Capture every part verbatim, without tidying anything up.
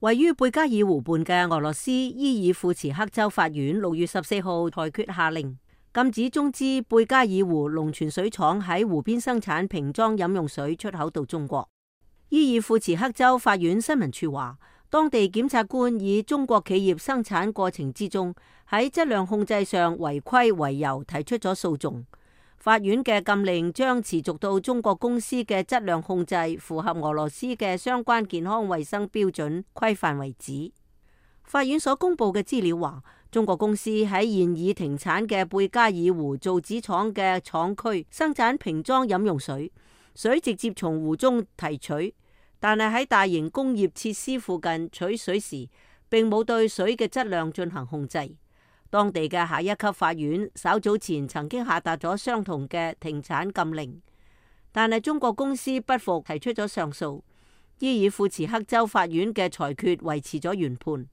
位於貝加爾湖畔嘅俄羅斯伊爾庫茨克州法院六月十四號裁決下令，禁止中資貝加爾湖龍泉水廠喺湖邊生產瓶裝飲用水出口到中國。伊爾庫茨克州法院新聞處話，當地檢察官以中國企業生產過程之中喺質量控制上違規為由提出咗訴訟。法院嘅禁令將持續到中國公司嘅質量控制符合俄羅斯嘅相關健康衛生標準規範為止。法院所公布嘅資料話，中國公司喺現已停產嘅貝加爾湖造紙廠嘅廠區生產瓶裝飲用水，水直接從湖中提取，但係喺大型工業設施附近取水時，並冇對水嘅質量進行控制。當地嘅下一級法院稍早前曾經下達咗相同嘅停產禁令，但係中國公司不服，提出咗上訴。伊爾庫茨克州法院嘅裁決維持咗原判。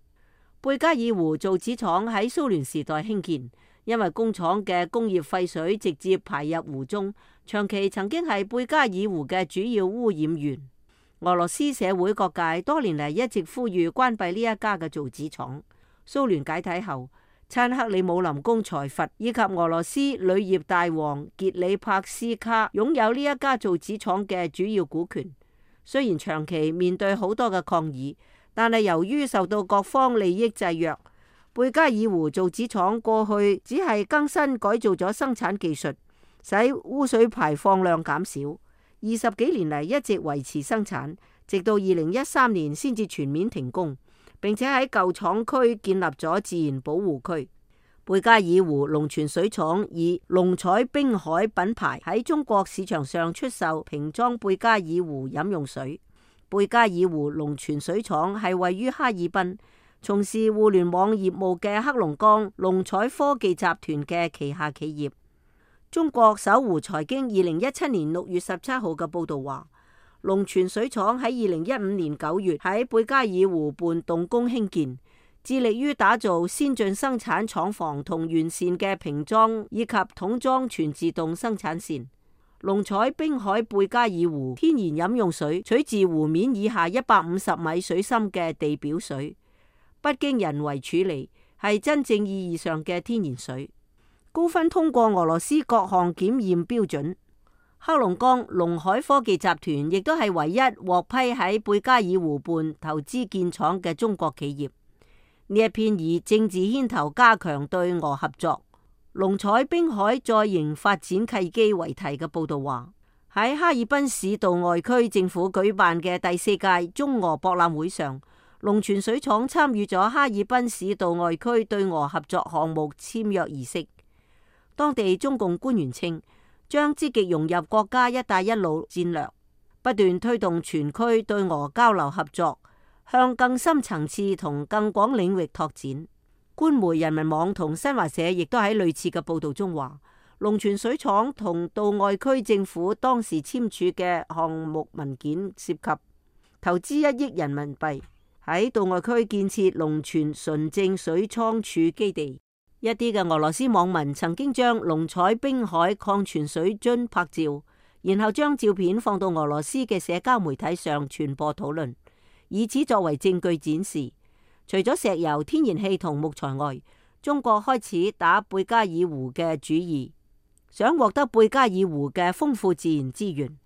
貝加爾湖造紙廠喺蘇聯時代興建，因為工廠嘅工業廢水直接排入湖中，長期曾經係貝加爾湖嘅主要污染源。俄羅斯社會各界多年嚟一直呼籲關閉呢一家嘅造紙廠。蘇聯解體後，親克里姆林宮財閥以及俄羅斯鋁業大王傑里帕斯卡擁有呢一家造紙廠嘅主要股權。雖然長期面對好多嘅抗議，但係由於受到各方利益制約，貝加爾湖造紙廠過去只係更新改造咗生產技術，使污水排放量減少。二十幾年嚟一直維持生產，直到二零一三年先至全面停工。並且喺舊廠區建立咗自然保護區。貝加爾湖龍泉水廠以龍彩冰海品牌喺中國市場上出售瓶裝貝加爾湖飲用水。貝加爾湖龍泉水廠係位於哈爾濱，從事互聯網業務嘅黑龍江龍彩科技集團嘅旗下企業。中國搜狐財經二零一七年六月十七號嘅報道話，龍泉水廠喺二零一五年九月喺貝加爾湖畔動工興建，致力於打造先進生產廠房同完善嘅瓶裝以及桶裝全自動生產線。龍彩冰海貝加爾湖天然飲用水取自湖面以下一百五十米水深嘅地表水，不經人為處理，係真正意義上嘅天然水，高分通過俄羅斯各項檢驗標準。黑龍江龍海科技集團亦都係唯一獲批喺貝加爾湖畔投資建廠嘅中國企業。呢一篇以政治牽頭加強對俄合作、龍彩冰海再營發展契機為題嘅報道話，喺哈爾濱市道外區政府舉辦嘅第四屆中俄博覽會上，龍泉水廠參與咗哈爾濱市道外區對俄合作項目簽約儀式。當地中共官員稱，將積極融入國家一帶一路戰略，不斷推動全區對俄交流合作，向更深層次同更廣領域拓展。官媒人民網同新華社亦都喺類似嘅報道中話，龍泉水廠同道外區政府當時簽署嘅項目文件涉及投資一億人民幣，喺道外區建設龍泉純正水倉儲基地。一啲嘅俄羅斯網民曾經將龍彩冰海礦泉水樽拍照，然後將照片放到俄羅斯嘅社交媒體上傳播討論，以此作為證據展示。除咗石油、天然氣同木材外，中國開始打貝加爾湖嘅主意，想獲得貝加爾湖嘅豐富自然資源。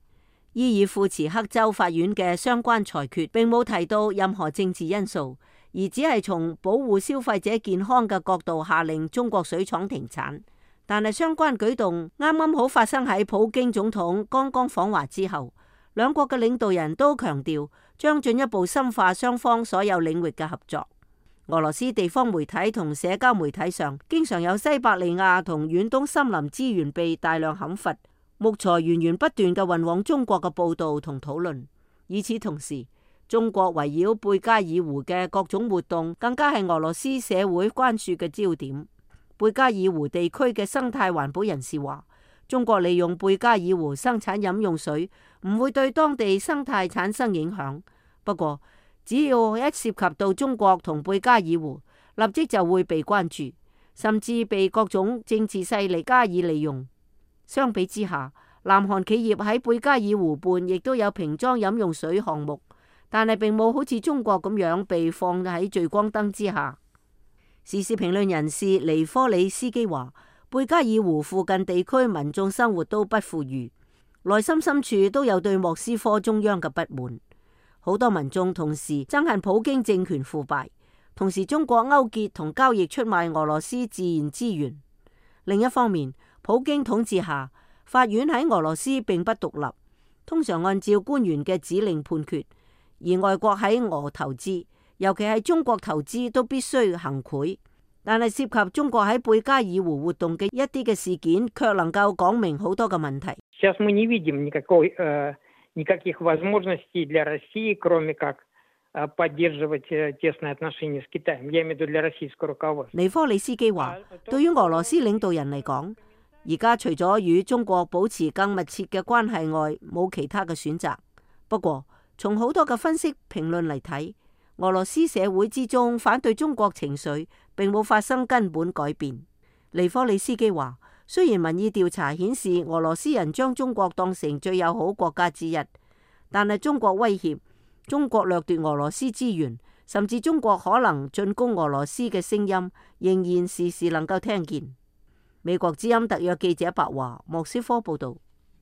伊爾庫茨克州法院嘅相關裁決並冇提到任何政治因素，而只係從保護消費者健康嘅角度下令中國水廠停產。但係相關舉動啱啱好發生喺普京總統剛剛訪華之後，兩國嘅領導人都強調將進一步深化雙方所有領域嘅合作。俄羅斯地方媒體同社交媒體上經常有西伯利亞同遠東森林資源被大量砍伐、木材源源不斷嘅運往中國嘅報道同討論。與此同時，中國圍繞貝加爾湖嘅各種活動更加係俄羅斯社會關注嘅焦點。貝加爾湖地區嘅生態環保人士話，中國利用貝加爾湖生產飲用水唔會對當地生態產生影響，不過只要一涉及到中國同貝加爾湖，立即就會被關注，甚至被各種政治勢力加以利用。相比之下，南韓企業喺貝加爾湖畔亦都有瓶裝飲用水項目，但係並冇好似中國咁樣被放喺聚光燈之下。時事評論人士尼科里斯基話，貝加爾湖附近地區民眾生活都不富裕，內心深處都有對莫斯科中央嘅不滿。好多民眾同時憎恨普京政權腐敗，同時中國勾結同交易出賣俄羅斯自然資源。另一方面，普京統治下，法院喺俄羅斯並不獨立，通常按照官員嘅指令判決，而外國喺俄投資，尤其係中國投資都必須行賄。但係涉及中國喺貝加爾湖活動嘅一啲嘅事件，卻能夠講明好多嘅問題。никаких возможностей для России, кроме как поддерживать тесные отношения с Китаем. Я имею в виду для российского руководства. 尼科里斯基話，對於俄羅斯領導人嚟講，而家除咗與中國保持更密切嘅關係外，冇其他嘅選擇。不過，從好多嘅分析評論嚟睇，俄羅斯社會之中反對中國情緒並冇發生根本改變。尼科里斯基話，雖然民意調查顯示俄羅斯人將中國當成最友好國家之一，但係中國威脅、中國掠奪俄羅斯資源，甚至中國可能進攻俄羅斯嘅聲音，仍然時時能夠聽見。美國之音特約記者白華，莫斯科報道。